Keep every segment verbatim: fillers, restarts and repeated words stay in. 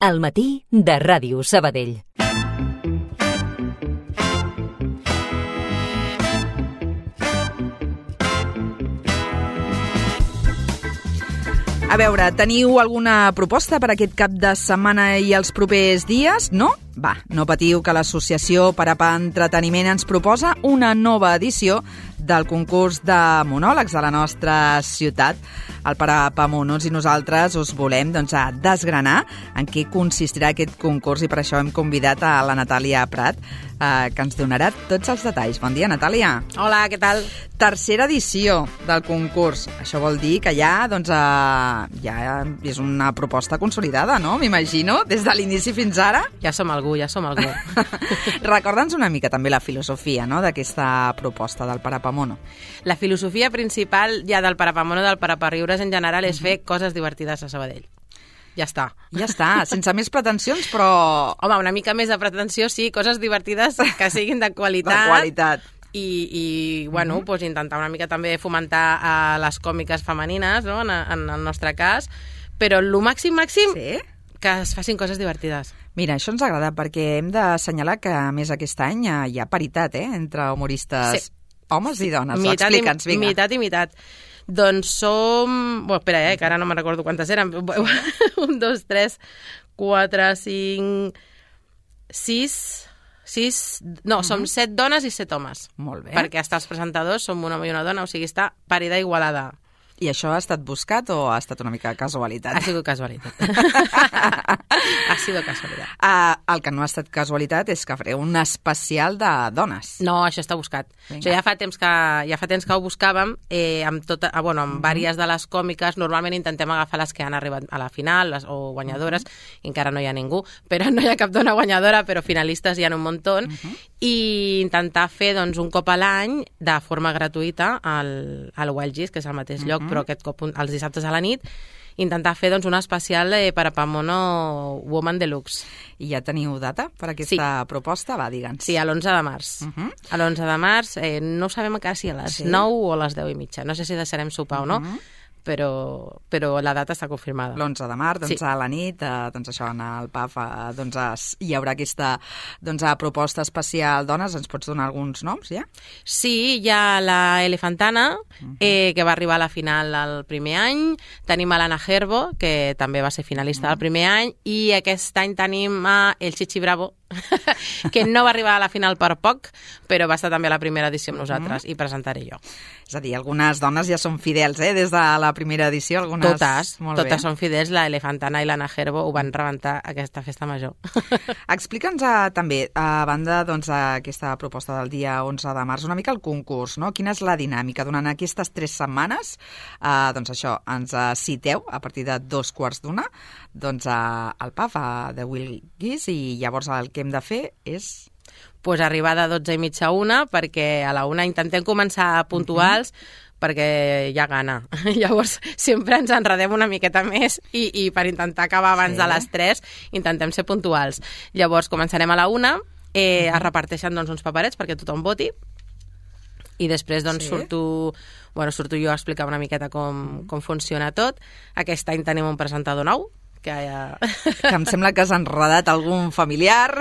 Al matí de Ràdio Sabadell. A veure, teniu alguna proposta per aquest cap de setmana i els propers dies? No? Va, no patiu, que l'Associació Parapà Entreteniment ens proposa una nova edició del concurs de monòlegs de la nostra ciutat, el Parapà Monos, i nosaltres us volem doncs, a desgranar en què consistirà aquest concurs, i per això hem convidat a la Natàlia Prat, eh, que ens donarà tots els detalls. Bon dia, Natàlia. Hola, què tal? Tercera edició del concurs. Això vol dir que ja, doncs, eh, ja és una proposta consolidada, no? M'imagino, des de l'inici fins ara. Ja som algú, ja som algú. Recorda'ns una mica també la filosofia, no?, d'aquesta proposta del Parapà Mono. La filosofia principal ja del Parapà Mono, del Parapà Riures en general, és fer coses divertides a Sabadell. Ja està. Ja està, sense més pretensions, però... Home, una mica més de pretensió, sí, coses divertides que siguin de qualitat. De qualitat. I, i bueno, mm-hmm. pues, intentar una mica també fomentar uh, les còmiques femenines, no?, en, en el nostre cas, però el màxim, màxim, sí? Que es facin coses divertides. Mira, això ens agrada, perquè hem d'assenyalar que, a més, aquest any hi ha paritat, eh?, entre humoristes, sí. Homes i dones. Mitat Explica'ns, vinga. Mitat i mitat. Doncs som... Bueno, espera, eh, que ara no me'n recordo quantes eren. Un, dos, tres, quatre, cinc, sis... sis... No, som uh-huh. set dones i set homes. Molt bé. Perquè hasta els presentadors som un home i una dona, o sigui, està parida igualada. I això ha estat buscat o ha estat una mica casualitat? Ha sigut casualitat. Ha sigut casualitat. Uh, el que no ha estat casualitat és que fareu un especial de dones. No, això està buscat. Vinga. Això ja fa temps que, ja fa temps que ho buscàvem, eh, amb, tota, bueno, amb uh-huh. vàries de les còmiques. Normalment intentem agafar les que han arribat a la final, les, o guanyadores, uh-huh. i encara no hi ha ningú, però no hi ha cap dona guanyadora, però finalistes hi ha un muntó, uh-huh. i intentar fer doncs, un cop a l'any, de forma gratuïta, al, al Wild Gis, que és al mateix uh-huh. lloc, però aquest cop els dissabtes a la nit, intentar fer doncs, un especial eh, Parapà Mono Woman Deluxe. I ja teniu data per aquesta sí. proposta? Va, digue'ns. Sí, a l'onze de març. Uh-huh. A l'onze de març, eh, no sabem encara si a les sí. nou o a les deu i mitja. No sé si deixarem sopar uh-huh. o no, però, però la data està confirmada. L'onze de març, doncs, sí. a la nit, eh, doncs això, en el P A F, eh, doncs, es, hi haurà aquesta doncs, proposta especial dones. Ens pots donar alguns noms, ja? Sí, hi ha la Elefantana, uh-huh. eh, que va arribar a la final el primer any. Tenim a l'Anna Gerbo, que també va ser finalista uh-huh. el primer any. I aquest any tenim a el Chichi Bravo, que no va arribar a la final per poc, però va estar també a la primera edició amb nosaltres, uh-huh. i presentaré jo. És a dir, algunes dones ja són fidels, eh?, des de la primera edició. Algunes... Totes, Molt totes bé. Són fidels. La Elefantana i l'Anna Gerbo ho van rebentar aquesta festa major. Explica'ns uh, també, a banda doncs, aquesta proposta del dia onze de març, una mica el concurs, no? Quina és la dinàmica? Durant aquestes tres setmanes, uh, doncs això, ens uh, citeu a partir de dos quarts d'una, doncs uh, al P A F uh, de Wild Gis, i llavors el que hem de fer és... Pues arribar de dotze i mitja a una, perquè a la una intentem començar puntuals, uh-huh. perquè hi ha gana. Llavors, sempre ens enredem una miqueta més i, i per intentar acabar abans sí. de les tres, intentem ser puntuals. Llavors, començarem a la una, eh, uh-huh. es reparteixen doncs, uns paperets perquè tothom voti, i després doncs, sí. surto, bueno, surto jo a explicar una miqueta com, com funciona tot. Aquest any tenim un presentador nou, que, ja... que em sembla que has enredat algun familiar.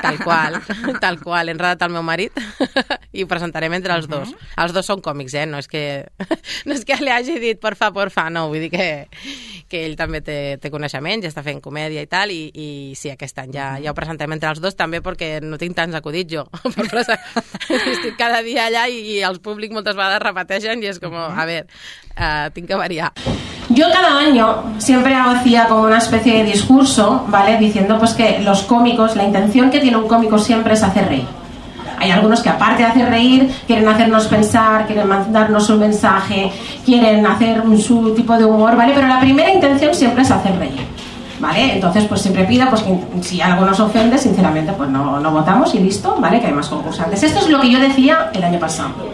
Tal qual, tal qual. He enredat el meu marit i ho presentarem entre els dos. Uh-huh. Els dos són còmics, eh? No és que, no és que li hagi dit porfa, porfa, no. Vull dir que, que ell també té, té coneixements, ja està fent comèdia i tal, i, i sí, aquest any ja, ja ho presentem entre els dos, també perquè no tinc tants acudits jo. Estic cada dia allà i, i els públics moltes vegades repeteixen i és com, a veure, uh, tinc que variar. Yo cada año siempre hacía como una especie de discurso, ¿vale? Diciendo pues que los cómicos, la intención que tiene un cómico siempre es hacer reír. Hay algunos que aparte de hacer reír, quieren hacernos pensar, quieren mandarnos un mensaje, quieren hacer su tipo de humor, ¿vale? Pero la primera intención siempre es hacer reír, ¿vale? Entonces pues siempre pido pues que si algo nos ofende, sinceramente pues no, no votamos y listo, ¿vale? Que hay más concursantes. Esto es lo que yo decía el año pasado.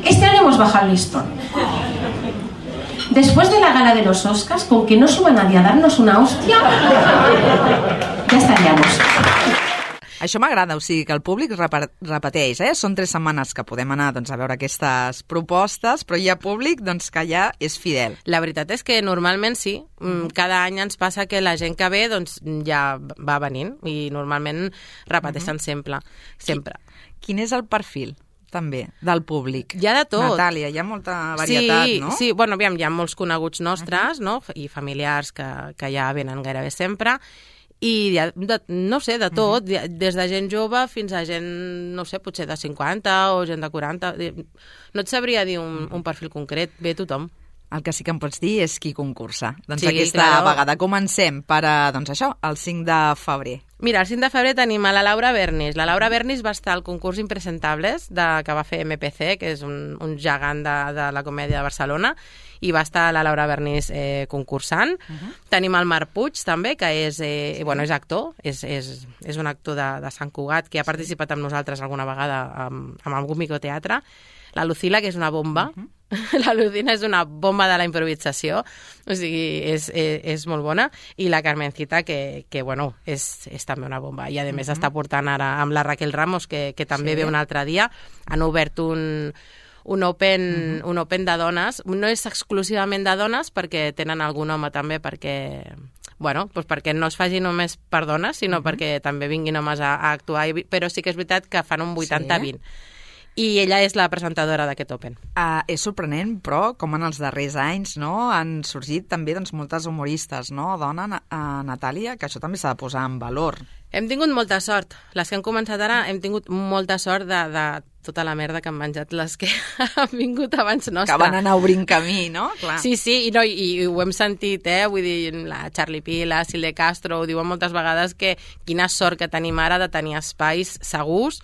Este año hemos bajado el listón. Después de la gala de los Oscars, con que no suba nadie a darnos una hostia, ya estaríamos. això m'agrada, o sigui que el públic repeteix, eh? Són tres setmanes que podem anar doncs, a veure aquestes propostes, però hi ha públic doncs, que ja és fidel. La veritat és que normalment sí, cada any ens passa que la gent que ve doncs, ja va venint i normalment repeteixen uh-huh. sempre, sempre. Quin és el perfil? També, del públic. Hi ha de tot. Natàlia, hi ha molta varietat, sí, no? Sí, bueno, aviam, hi ha molts coneguts nostres, uh-huh. no? I familiars que, que ja venen gairebé sempre, i hi ha de, no sé, de tot, uh-huh. des de gent jove fins a gent, no sé, potser de cinquanta o gent de quaranta. No et sabria dir un, un perfil concret, ve tothom. El que sí que em pots dir és qui concursa. Doncs sí, aquesta claro. vegada comencem per, doncs això, el cinc de febrer. Mira, el cinc de febrer tenim a la Laura Bernis. La Laura Bernis va estar al concurs Impresentables de, que va fer M P C, que és un, un gegant de, de la comèdia de Barcelona, i va estar la Laura Bernis eh, concursant. Uh-huh. Tenim el Marc Puig, també, que és, eh, sí. bueno, és actor, és, és, és un actor de, de Sant Cugat, que ha participat amb nosaltres alguna vegada amb, amb algun microteatre. La Lucila, que és una bomba. Uh-huh. La Lucina és una bomba de la improvisació, o sigui, és, és, és molt bona, i la Carmencita, que, que bueno, és, és també una bomba, i a més uh-huh. està portant ara amb la Raquel Ramos, que, que també sí. ve un altre dia. Han obert un, un, open, uh-huh. un open de dones, no és exclusivament de dones, perquè tenen algun home també, perquè... Bueno, doncs perquè no es faci només per dones, sinó uh-huh. perquè també vinguin homes a, a actuar, però sí que és veritat que fan un vuitanta vint. Sí. I ella és la presentadora d'aquest Open. Uh, és sorprenent, però, com en els darrers anys, no?, han sorgit també doncs, moltes humoristes, no?, dona, uh, Natàlia, que això també s'ha de posar en valor. Hem tingut molta sort. Les que han començat ara hem tingut molta sort de, de tota la merda que han menjat les que han vingut abans nostra. Que van anar obrint camí, no? Clar. Sí, sí, i, no, i, i ho hem sentit, eh? Vull dir, la Charlie Pi, la Silde Castro, ho diuen moltes vegades que quina sort que tenim ara de tenir espais segurs,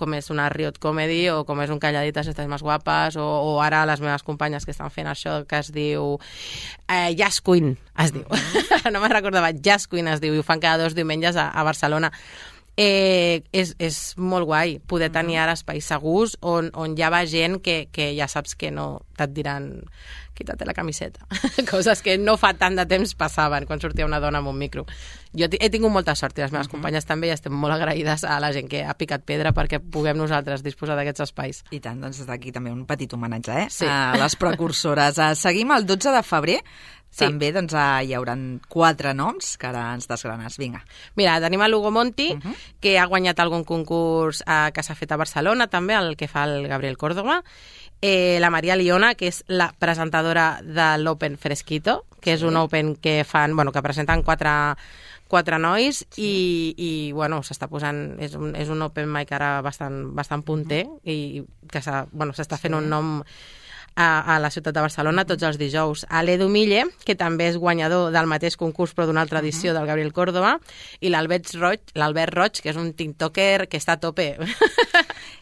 com és una Riot Comedy o com és un Calladitas Estàs Més Guapes, o, o ara les meves companyes que estan fent això que es diu eh, Jazz Queen, es diu. No me'n recordava, Jazz Queen es diu, i ho fan cada dos diumenges a, a Barcelona. Eh, és, és molt guai poder tenir ara espais segurs on, on hi ha gent que, que ja saps que no te't diran quítate la camiseta. Coses que no fa tant de temps passaven quan sortia una dona amb un micro. Jo he tingut molta sort i les meves uh-huh. companyes també, i estem molt agraïdes a la gent que ha picat pedra perquè puguem nosaltres disposar d'aquests espais. I tant, doncs des d'aquí també un petit homenatge, eh? Sí. A les precursores. Seguim el dotze de febrer. Sí. També doncs, hi haurà quatre noms que ara ens desgranes. Vinga. Mira, tenim el Hugo Monti, uh-huh. que ha guanyat algun concurs eh, que s'ha fet a Barcelona, també, el que fa el Gabriel Córdoba. Eh, la Maria Liona, que és la presentadora de l'Open Fresquito, que sí. és un Open que fan, bueno, que presenten quatre, quatre nois, sí. i, i bueno, s'està posant, és un, és un Open mic ara bastant, bastant punter, uh-huh. i que s'ha, bueno, s'està fent sí. un nom a, a la ciutat de Barcelona tots els dijous. A l'Edu Mille, que també és guanyador del mateix concurs però d'una altra edició uh-huh. del Gabriel Córdoba, i l'Albert Roig, l'Albert Roig, que és un tiktoker que està a tope.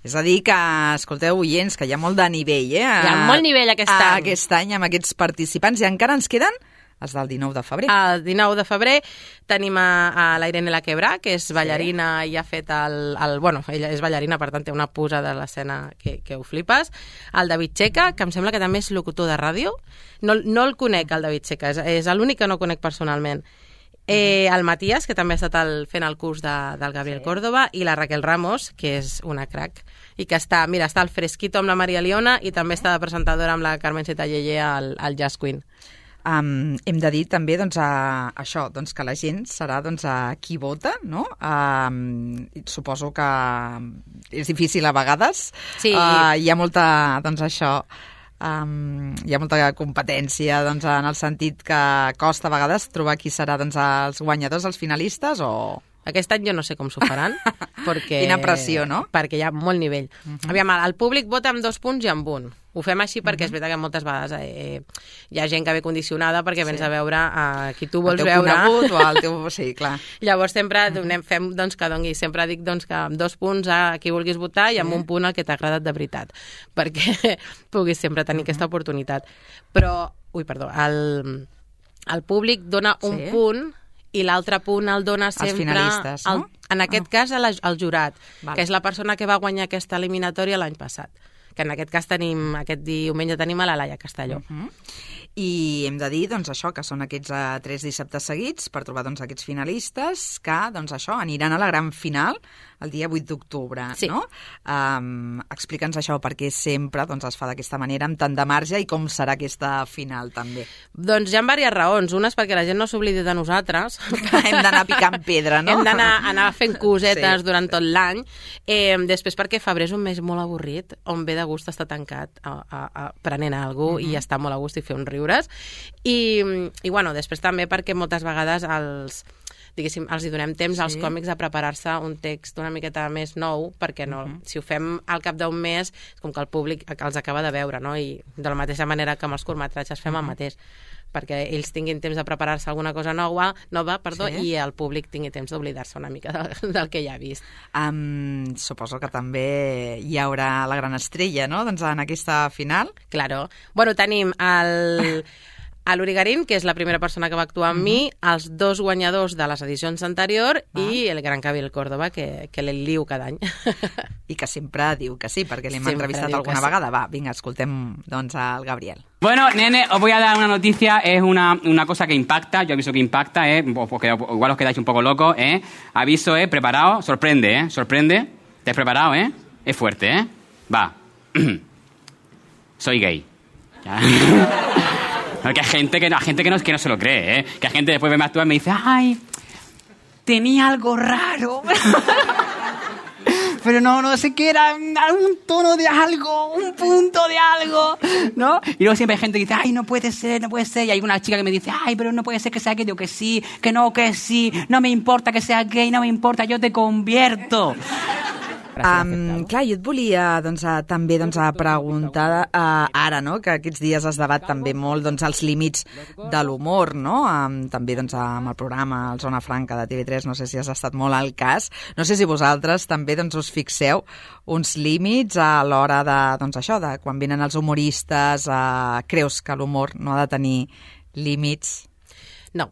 És a dir que, escolteu, oients, que hi ha molt de nivell, eh? Hi ha molt nivell aquest any. Aquest any amb aquests participants, i encara ens queden els del dinou de febrer. El dinou de febrer tenim a, a la Irene Laquebrà, que és ballarina sí. i ha fet el, el... Bueno, ella és ballarina, per tant té una pusa de l'escena que, que ho flipes. El David Checa, que em sembla que també és locutor de ràdio. No, no el conec, el David Checa, és, és l'únic que no conec personalment. Eh, el Matías, que també ha estat el, fent el curs de, del Gabriel sí. Córdoba, i la Raquel Ramos, que és una crac, i que està, mira, està al Fresquito amb la Maria Liona i també està de presentadora amb la Carmencita Yeye al, al Jazz Queen. Um, hem de dir també doncs, a, això, doncs, que la gent serà doncs, a qui vota, no? Um, suposo que és difícil a vegades. Sí. Uh, hi ha molta, doncs això, um, hi ha molta competència doncs, en el sentit que costa a vegades trobar qui serà doncs, els guanyadors, els finalistes, o... Aquest any jo no sé com s'ho faran, perquè... Quina pressió, no? Perquè hi ha molt nivell. Uh-huh. Aviam, el públic vota amb dos punts i amb un. Ho fem així perquè uh-huh. és veritat que moltes vegades eh, hi ha gent que ve condicionada perquè sí. vens a veure a qui tu vols veure. El teu conegut o el teu... Sí, clar. Llavors sempre uh-huh. fem doncs, que dongui. Sempre dic doncs, que amb dos punts a qui vulguis votar i amb sí. un punt al que t'ha agradat de veritat, perquè puguis sempre tenir uh-huh. aquesta oportunitat. Però, ui, perdó, el, el públic dona sí. un punt i l'altre punt el dona sempre... Els finalistes, no? El, en aquest oh. cas, el, el jurat, Val. que és la persona que va guanyar aquesta eliminatòria l'any passat. Que en aquest cas tenim, aquest diumenge tenim a la Laia Castelló. Uh-huh. I hem de dir, doncs, això, que són aquests uh, tres dissabtes seguits per trobar, doncs, aquests finalistes que, doncs, això, aniran a la gran final el dia vuit d'octubre, sí. no? Um, Explica'ns això, perquè sempre doncs, es fa d'aquesta manera, amb tant de marge, i com serà aquesta final, també. Doncs hi ha diverses raons. Una és perquè la gent no s'oblidi de nosaltres. Hem d'anar picant pedra, no? Hem d'anar anar fent cosetes sí. durant tot l'any. Eh, després perquè febrer és un mes molt avorrit, on ve de gust estar tancat a, a, a prenent alguna cosa mm -hmm. i estar molt a gust i fer uns riures. I, i bueno, després també perquè moltes vegades els... diguéssim, els hi donem temps sí. als còmics a preparar-se un text una miqueta més nou, perquè no, uh-huh. si ho fem al cap d'un mes, és com que el públic els acaba de veure, no? I de la mateixa manera que amb els curtmetratges fem uh-huh. el mateix, perquè ells tinguin temps de preparar-se alguna cosa nova, nova perdó, sí. i el públic tingui temps d'oblidar-se una mica del, del que ja ha vist. Um, suposo que també hi haurà la gran estrella, no?, doncs en aquesta final. Claro. Bueno, tenim el... a l'Urigarín, que és la primera persona que va actuar amb uh-huh. mi, els dos guanyadors de les edicions anteriors ah. i el Gran Cabil Córdoba, que, que l'ell liu cada any. I que sempre diu que sí, perquè l'hem entrevistat alguna sí. vegada. Va, vinga, escoltem doncs al Gabriel. Bueno, nene, os voy a dar una noticia, es una, una cosa que impacta, yo aviso que impacta, eh, porque igual os quedáis un poco locos, eh. Aviso, eh, preparado, sorprende, eh, sorprende. ¿Te has preparado, eh? Es fuerte, eh. Va. Soy gay. Que hay gente, que, hay gente que, no, que no se lo cree, ¿eh? Que hay gente después ve actuar y me dice, ay, tenía algo raro. Pero no, no sé qué era, algún tono de algo, un punto de algo, ¿no? Y luego siempre hay gente que dice, ay, no puede ser, no puede ser. Y hay una chica que me dice, ay, pero no puede ser que sea gay. Digo que sí, que no, que sí. No me importa que sea gay, no me importa, yo te convierto. Um, clar, jo et volia doncs, a, també doncs, a preguntar uh, ara, no?, que aquests dies es debat també molt doncs, els límits de l'humor, no? Um, també doncs, amb el programa el Zona Franca de T V tres, no sé si has estat molt al cas. No sé si vosaltres també doncs, us fixeu uns límits a l'hora de, doncs, això, de quan venen els humoristes, uh, creus que l'humor no ha de tenir límits? No.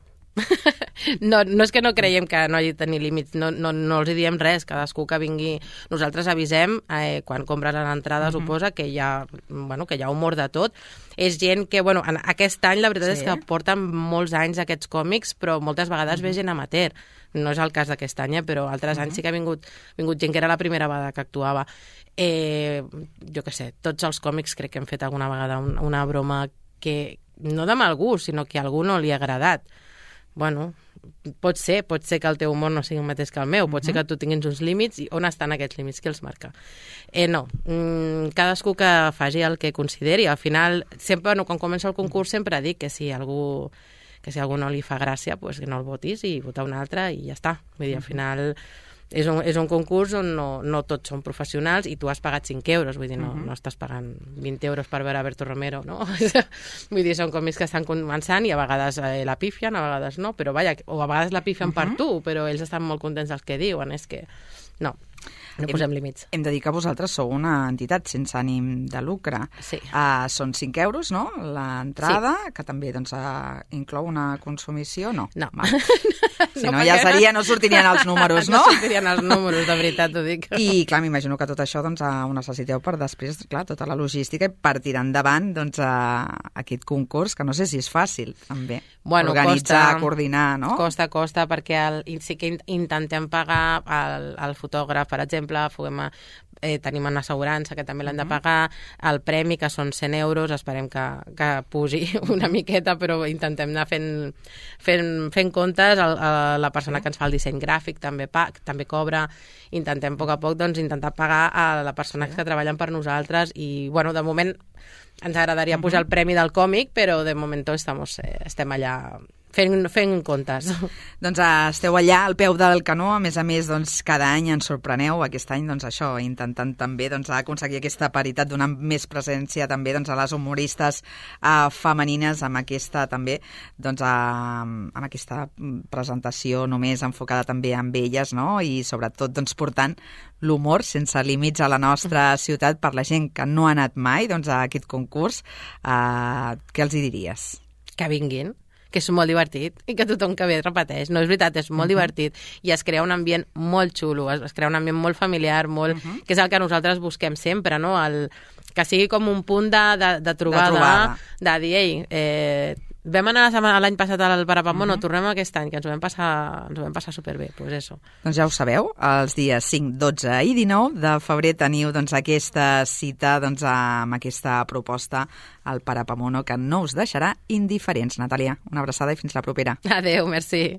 No, no és que no creiem que no hagi de tenir límits, no, no, no els diem res, cadascú que vingui. Nosaltres avisem, eh, quan compres l'entrada, mm-hmm. suposa que hi ha, bueno, que hi ha humor de tot. És gent que, bueno, en aquest any la veritat sí. és que porten molts anys aquests còmics, però moltes vegades mm-hmm. ve gent amateur. No és el cas d'aquest any, eh, però altres mm-hmm. anys sí que ha vingut, vingut gent que era la primera vegada que actuava. Eh, jo què sé, tots els còmics crec que hem fet alguna vegada una, una broma que no de mal gust, sinó que a algú no li ha agradat. Bueno, pot ser, pot ser que el teu humor no sigui el mateix que el meu, pot uh-huh. ser que tu tinguis uns límits, i on estan aquests límits, qui els marca? Eh, no, mm, cadascú que faci el que consideri. Al final, sempre, bueno, quan comença el concurs, sempre dic que si algú, que si algú no li fa gràcia, pues que no el votis i votar un altre i ja està. Vull dir, al final és un, és un concurs on no, no tots són professionals i tu has pagat cinc euros, vull dir, no, uh-huh. no estàs pagant vint euros per veure Berto Romero, no? Vull dir, són còmics que estan començant i a vegades eh, la pifien, a vegades no, però vaja, o a vegades la pifien uh-huh. per tu, però ells estan molt contents dels que diuen, és que no. No posem límits. Hem de dir que vosaltres sou una entitat sense ànim de lucre. Sí. Uh, són cinc euros, no?, l'entrada, sí. que també doncs, uh, inclou una consumició, no? No. Si no, no ja seria, no sortirien els números, no? No sortirien els números, de veritat, t'ho dic. I, clar, m'imagino que tot això doncs, uh, ho necessiteu per després, clar, tota la logística i per tirar endavant doncs, uh, aquest concurs, que no sé si és fàcil, també. Bueno, organitzar, costa, coordinar, no? Costa, costa, perquè el, sí que intentem pagar el, el fotògraf, per exemple, Foguem a, eh, tenim una assegurança que també l'han de pagar, el premi, que són cent euros, esperem que, que pugi una miqueta, però intentem anar fent, fent, fent comptes. El, el, la persona que ens fa el disseny gràfic també, pa, també cobra. Intentem a poc a poc doncs, intentar pagar a la persona que treballen per nosaltres i, bueno, de moment ens agradaria pujar el premi del còmic, però de moment estamos, eh, estem allà fent, fent comptes. Doncs uh, esteu allà al peu del canó, a més a més doncs, cada any ens sorpreneu, aquest any doncs, això, intentant també doncs, aconseguir aquesta paritat, donant més presència també doncs, a les humoristes uh, femenines amb aquesta també doncs, uh, amb aquesta presentació només enfocada també amb elles, no? I sobretot doncs, portant l'humor sense límits a la nostra ciutat per la gent que no ha anat mai doncs, a aquest concurs. Uh, què els hi diries? Que vinguin. que és molt divertit i que tothom que ve repeteix. No, és veritat, és molt uh-huh. divertit i es crea un ambient molt xulo, es, es crea un ambient molt familiar, molt, uh-huh. que és el que nosaltres busquem sempre, no? El, que sigui com un punt de, de, de, trobada, de trobada, de dir, ei, eh, vam anar l'any passat al Parapamono, uh-huh. tornem aquest any, que ens ho vam passar, ens ho vam passar superbé, doncs pues eso. Doncs ja ho sabeu, els dies cinc, dotze i dinou de febrer teniu doncs, aquesta cita doncs, amb aquesta proposta al Parapamono que no us deixarà indiferents. Natàlia, una abraçada i fins la propera. Adéu, merci.